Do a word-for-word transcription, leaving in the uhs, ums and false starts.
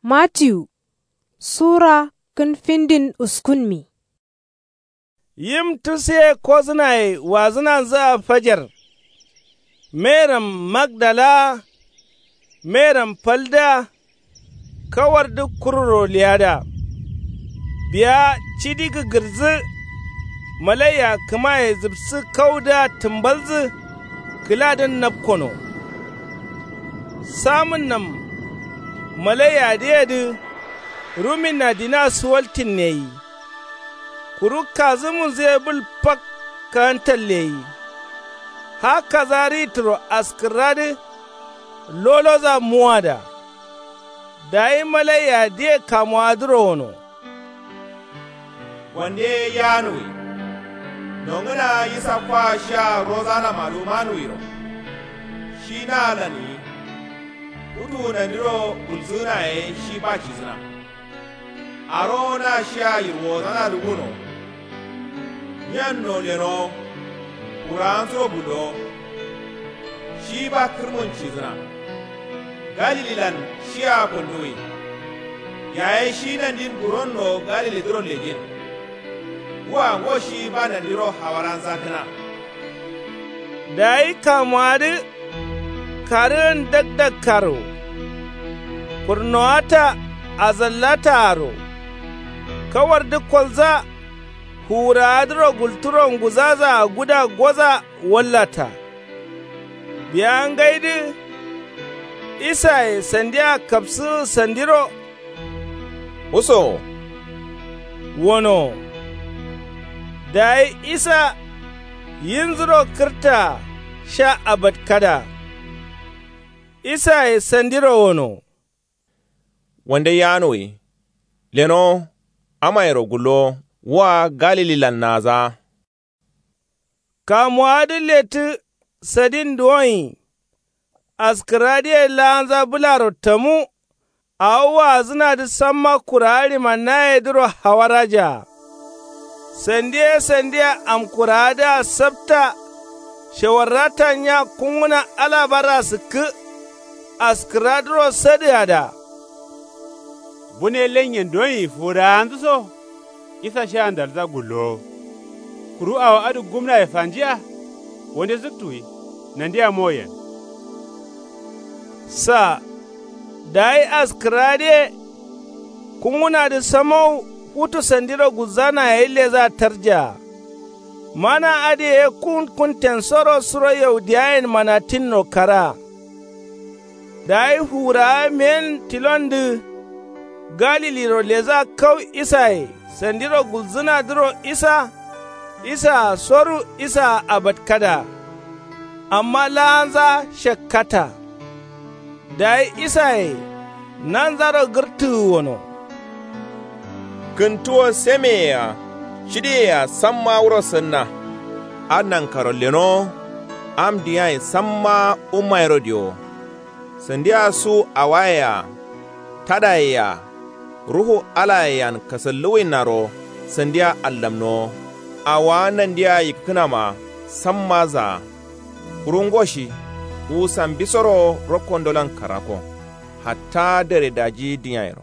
Matiyu sura kǝn findin uskunmi. Yim tusuye kozǝnaye wazǝnanzǝa fajar. Meram magdalaa, meram faldǝa, kawardu kururo leyadǝa. Biya cidi gǝgǝrzǝ malaiya kǝmaye zǝbsǝ kaudǝa tǝmbalzǝ kǝladǝn napkono. Samǝnnam malaiyadǝyedǝ ruminna dina suwaltinneyi. Kuru kazǝmunzǝ ye bǝl fak kaantalleyi. Ha kaza ritǝro askǝrradǝ loloza muwada. Dayi malaiyadǝye kamuwadǝro wono. Wande ye yanuwi. Nongǝna isa kwa shiya rozana madumanwiro. Shi naalan yi. Futu nandiro gulzǝna ye shi ba cizǝna. Arowo na shiya yirwozanadǝ guno. Nyanno leno. Kurawanso gullowo. Shi ba kǝrmun cizǝna. Galililan shiya fǝnduwi. Yaye shi nandin buronno galilidǝro lejin. Wa ngo shi ba nandiro hawaranza kǝna. Dayi kamuwadǝ karǝgǝn dakdakkaro. Kurnowata azallataaro. Kawardu kolza. Fuwurawadǝro gulturo nguzazaa guda goza wallata. Biya ngaidǝ isaye sandia kapsǝgǝ sandiro. Usowo. Wonowo. Dayi isa yinzuro kǝrtaa sha abatkada. Isaye sandiro wono. Wande yanuwi. Lenowo. Amayero gullowo. Wa galililan naazaa. Kamuwadǝ lettǝ sadin duwonyi. Askǝrradǝye laanza bǝlaro tamu. Awo waazǝnadǝ samma kurawa ɍimannayedǝro hawarajaa. Sandi ye sandia amkurawadǝa sapta. Shewarrata nya kungǝna alabara sǝkkǝ. Askǝrradǝro sadǝgada. Bune lenyen donyi fuwurawanzǝ so. Isa sha ndalza gullowo. Kuru awo adǝ gumnaye fanjiya. Wande zǝktuwi. Nandia moyen. Sa. Dayi askǝrradǝye. Kungǝnadǝ samau futu sandiro gulzana yayi leza tarjaa. Mana adǝ ye kun kuntensoro suro yaudiyayen manatinno kara. Dayi fuwurawa meyen tilondǝ galiliro leza kau isaye sandiro gulzǝnadǝro isa. Isaa soru isaa abatkada. Amma laanza shakkata. Dayi isaye nanzaro gǝrtǝgǝ wono. Kǝntuwo semeyea cidiyea samma wuro sǝnna. Adǝ nankaro lenowo. Am diyayen samma ummayero diyowo. Sandia su awayea tadayea ruhu alayean kasalluwinnaro sandia allamnowo. Awowa nandia yikkǝnama samma zaa. Kuru ngo shi wu sambisoro rokkondolan karako. Hatta dare daji dǝnyayero.